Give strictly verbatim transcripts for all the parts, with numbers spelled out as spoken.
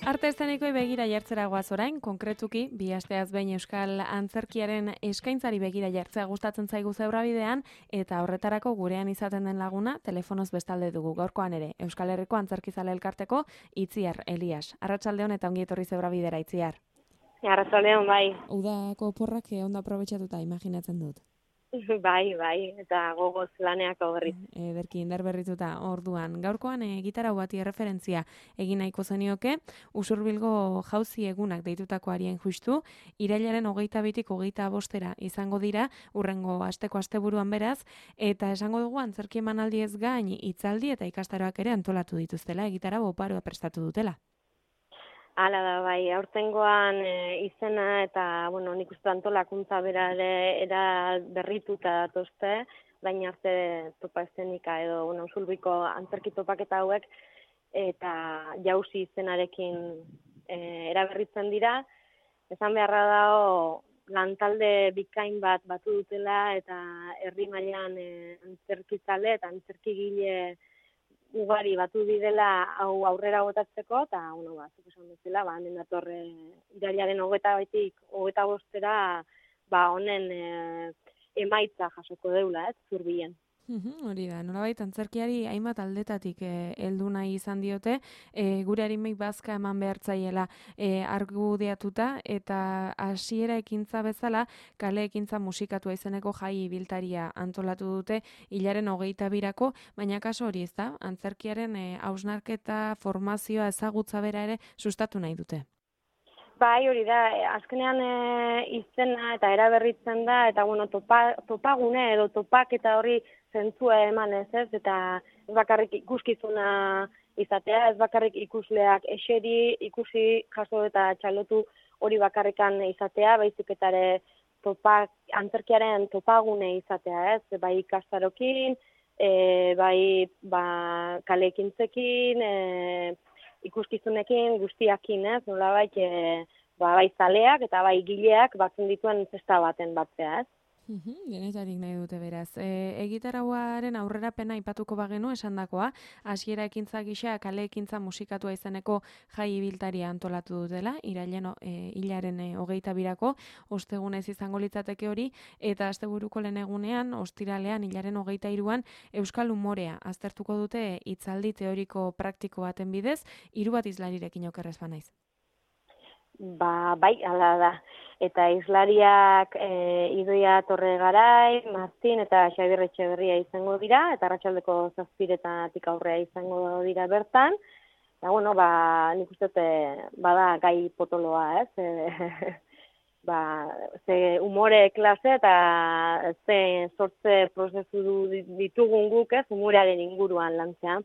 Arte eszenikoei begira jartzera goaz orain, konkretuki, bi asteaz behin Euskal Antzerkiaren eskaintzari begira jartzea gustatzen zaigu Zebrabidean, eta horretarako gurean izaten den laguna telefonoz bestalde dugu gaurkoan ere. Euskal Herriko Antzerkizale Elkarteko Itziar Elias. Arratsaldeon eta ongi etorri Zebrabidera, Itziar. Arratsaldeon, bai. Udako oporrak ondo aprobetxatuta imaginatzen dut. Bai, bai, eta gogoz laneako berriz. Ederki indar berrituta orduan. Gaurkoan e, gitarau bati erreferentzia egin nahiko zenioke, Usurbilgo jauzi egunak deitutako arien justu, irailaren hogeita bitik hogeita bostera izango dira, urrengo asteko asteburuan beraz, eta esango dugu antzerki emanaldi ez gain, hitzaldi eta ikastaroak ere antolatu dituztela, gitarau oparoa prestatu dutela. Hala da, bai, aurtengoan e, izena eta, bueno, nik uste antolakuntza bera ere era berrituta datozte, baina arte topa eszenika edo, bueno, Usurbilgo antzerki topaketa hauek, eta jauzi izenarekin e, eraberritzen dira. Esan beharra dago, lantalde bikain bat batu dutela, eta herri mailan e, antzerkizale eta antzerkigile ugari batu direla hau aurrera botatzeko, eta, bueno, ba, zuk esan bezala, ba, hemen datorre irailaren hogeita baitik, hogeita bostera, ba, honen e, emaitza jasoko deula, ez, Zurbilen. Hori da, nolabait antzerkiari hainbat aldetatik heldu eh, nahi izan diote, eh, gure harimei bazka eman behartzaiela eh, argudiatuta, eta hasiera ekintza bezala, kale ekintza musikatua izeneko jai ibiltaria antolatu dute hilaren hogeita birako, baina kaso hori ez da, antzerkiaren eh, hausnarketa, formazioa, ezagutza bera ere sustatu nahi dute. Bai, hori da, azkenean e, izena eta eraberritzen da, eta bueno, topa, topagune edo topak eta hori zentzua eman ez ez, eta ez bakarrik ikuskizuna izatea, ez bakarrik ikusleak eseri, ikusi, jaso eta txalotu hori bakarrikan izatea, baizik eta ere topak, antzerkiaren topagune izatea ez, bai ikastarokin, e, bai ba, kalekintzekin, e, ikuskizunekin, guztiakin, ez, nolabait, e, ba, bai zaleak eta bai gileak batzen dituen zesta baten batzea, ez. Uhum, denetarik nahi dute beraz. E, egitarauaren aurrerapena aipatuko bagenu esandakoa, hasiera ekintza gisa kale ekintza musikatua izeneko jai ibiltaria antolatu dutela, irailen e, hilaren e, hogeita birako, ostegunez izango litzateke hori, eta asteburuko lehen egunean, ostiralean, hilaren hogeita hiruan, Euskal Umorea aztertuko dute hitzaldi teoriko praktiko baten bidez, hiru bat izlarirekin okerrez banaiz. Ba, bai, hala da. Eta izlariak e, Idoia Torregarai, Martin eta Xabier Etxeberria izango dira, eta arratsaldeko zazpiretatik aurrea izango dira bertan. Eta, bueno, ba, nik uste bada gai potoloa, ez? E, ba, ze umore klase eta ze sortze prozesu ditugun guk, ez? Umorearen inguruan lantzea.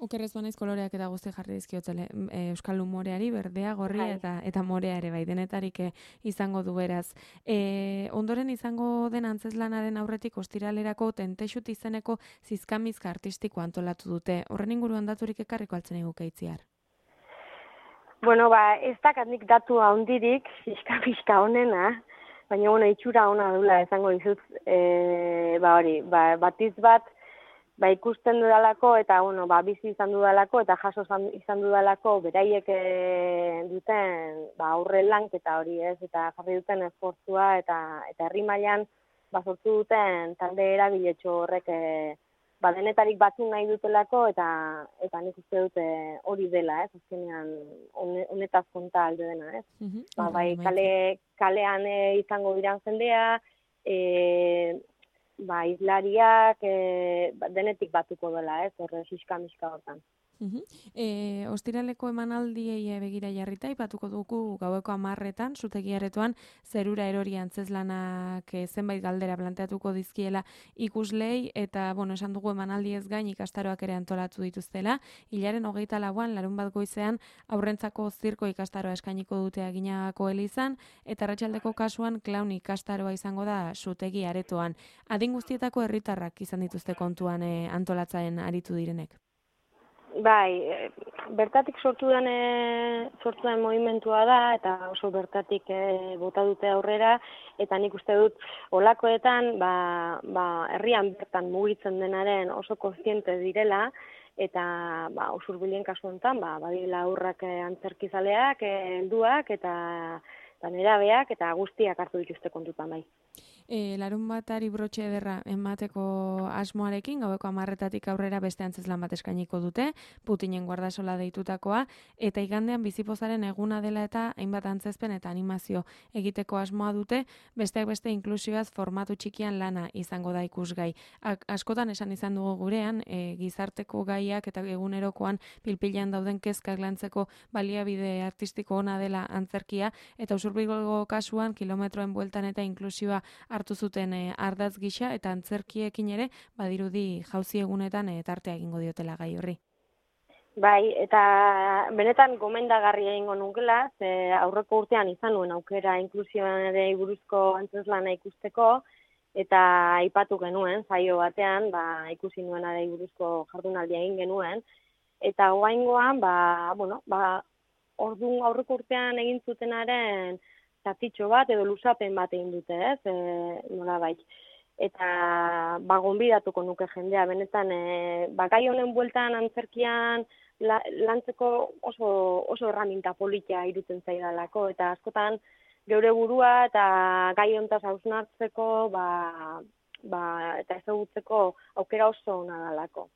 Okerrez banaiz koloreak eta guzti jarri dizkiotzele Euskal Umoreari, berdea, gorria eta, eta morea ere bai, denetarik izango du beraz. E, ondoren izango den antzezlanaren aurretik ostiralerako Tentexut izeneko zizkamizka artistiko antolatu dute. Horren inguruan daturik ekarriko altzen eguke Itziar? Bueno, ba, ez dakat nik datu handirik, zizkamizka honena, baina, bueno, itxura ona dula izango dizut, e, ba hori, ba, batiz bat, ba, ikusten dudalako eta bueno, ba, bizi izan dudalako eta jaso izan dudalako beraiek e, duten ba, aurre lanketa hori ez, eta jarri duten esfortzua eta eta herri mailan ba, sortu duten talde eragiletxo horrek e, ba, denetarik batu nahi dutelako eta eta nik uste dute hori dela, ez, azkenean honetaz konta alde dena, ez. Mm-hmm. Ba, bai, kale, kalean e, izango diran jendea, e, ba, izlariak e, denetik batuko dela, ez, horre xiska-miska hortan. Uhum. E, ostiraleko emanaldiei begira jarrita, ipatuko dugu gaueko hamarretan, zutegiaretoan zerura erori antzezlanak e, zenbait galdera planteatuko dizkiela ikuslei, eta, bueno, esan dugu emanaldi ez gain ikastaroak ere antolatu dituztela, hilaren hogeita lauan, larun bat goizean, aurrentzako zirko ikastaroa eskainiko dute Aginagako elizan, eta arratsaldeko kasuan klaun ikastaroa izango da zutegi aretoan. Adin guztietako herritarrak izan dituzte kontuan e, antolatzen aritu direnek. Bai, bertatik sortu den, sortu den movimentua da, eta oso bertatik e, bota dute aurrera, eta nik uste dut olakoetan, ba, ba, herrian bertan mugitzen denaren oso kontziente direla, eta ba, Usurbilen kasu honetan, ba, badila aurrak antzerkizaleak, helduak eta, eta nerabeak, eta guztiak hartu dituzte kontutan bai. E, larun batari brotxe ederra emateko asmoarekin, gaueko hamarretatik aurrera beste antzezlan bat eskainiko dute, Putinen guardasola deitutakoa, eta igandean bizipozaren eguna dela eta hainbat antzezpen eta animazio egiteko asmoa dute, besteak beste inklusioaz formatu txikian lana izango da ikusgai. Ak, askotan esan izan dugu gurean, e, gizarteko gaiak eta egunerokoan pilpilean dauden kezkak lantzeko baliabide artistiko ona dela antzerkia, eta Usurbilgo kasuan kilometroen bueltan eta inklusioa hartu zuten e, ardatz gisa eta antzerkiekin ere badirudi jauzi egunetan e, tartea egingo diotela gai horri. Bai, eta benetan gomendagarria egingo nukela, ze aurreko urtean izan nuen aukera inklusioari buruzko antzeslana ikusteko, eta aipatu genuen, saio batean, ba, ikusi nuenari buruzko jardunaldia egin genuen, eta oraingoan, ba, bueno, ba, ordu aurreko urtean egin zutenaren zatitxo bat edo luzapen bat egin dute, ez, e, nolabait. Eta ba, gonbidatuko nuke jendea, benetan, e, ba, gai honen bueltan antzerkian la, lantzeko oso, oso erraminta politia irutzen zaidalako, eta askotan geure burua eta gai hontaz hausnartzeko, ba, ba, eta ezagutzeko aukera oso ona dalako.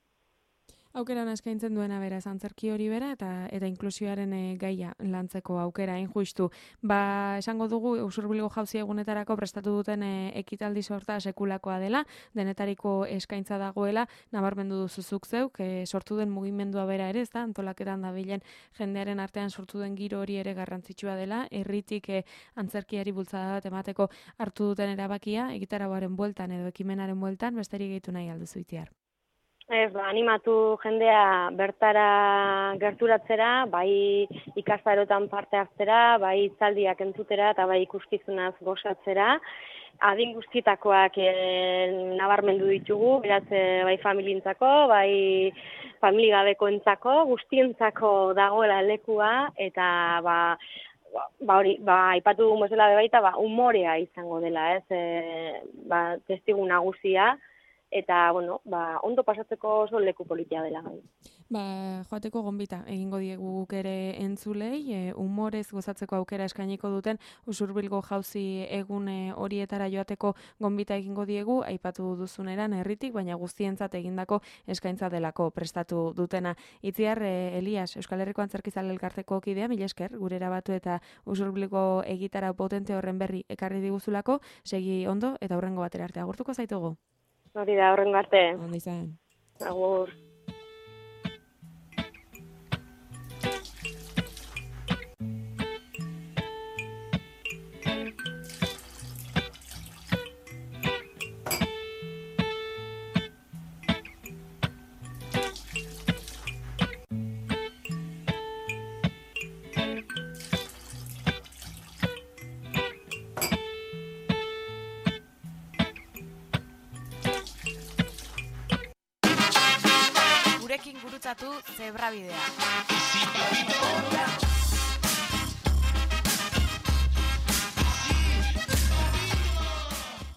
Aukera eskaintzen duena beraz antzerki hori bera eta eta inklusioaren e, gaia lantzeko aukera hain justu. Ba, esango dugu Usurbilgo jauzi egunetarako prestatu duten e, ekitaldi sorta sekulakoa dela, denetariko eskaintza dagoela, nabarmendu duzuzuk zeuk, e, sortu den mugimendua bera ere, ezta, antolaketan dabilen jendearen artean sortu den giro hori ere garrantzitsua dela, herritik e, antzerkiari bultzada bat emateko hartu duten erabakia, egitarauaren bueltan edo ekimenaren bueltan, besterik gehitu nahi alduzu Itziar. Ez, ba, animatu jendea bertara gerturatzera, bai ikastarotan parte hartzera, bai hitzaldiak entzutera eta bai ikuskizunaz gozatzera. Adin guztietakoak e, nabarmendu ditugu, beraz bai familientzako, bai familigabekoentzako, guztientzako dagoela lekua eta ba ba hori, ba aipatu dugun bezala baita, ba umorea izango dela, ez? E, ba testigu nagusia. Eta, bueno, ba, ondo pasatzeko oso leku politia dela. Ba, joateko gonbita egingo diegu guk ere entzulei, e, humorez gozatzeko aukera eskainiko duten Usurbilgo jauzi egun horietara joateko gonbita egingo diegu, aipatu duzuneran herritik, baina guztientzat egindako eskaintza delako prestatu dutena. Itziar, e, Elias, Euskal Herriko Antzerkizale Elkarteko kidea, mila esker, gure erabatu eta Usurbilgo egitara potente horren berri ekarri diguzulako, segi ondo eta hurrengo batera arte agurtuko zaitugu. Hori da, horrengo arte. Ondo izan. Agur. Gurekin gurutzatu Zebrabidea.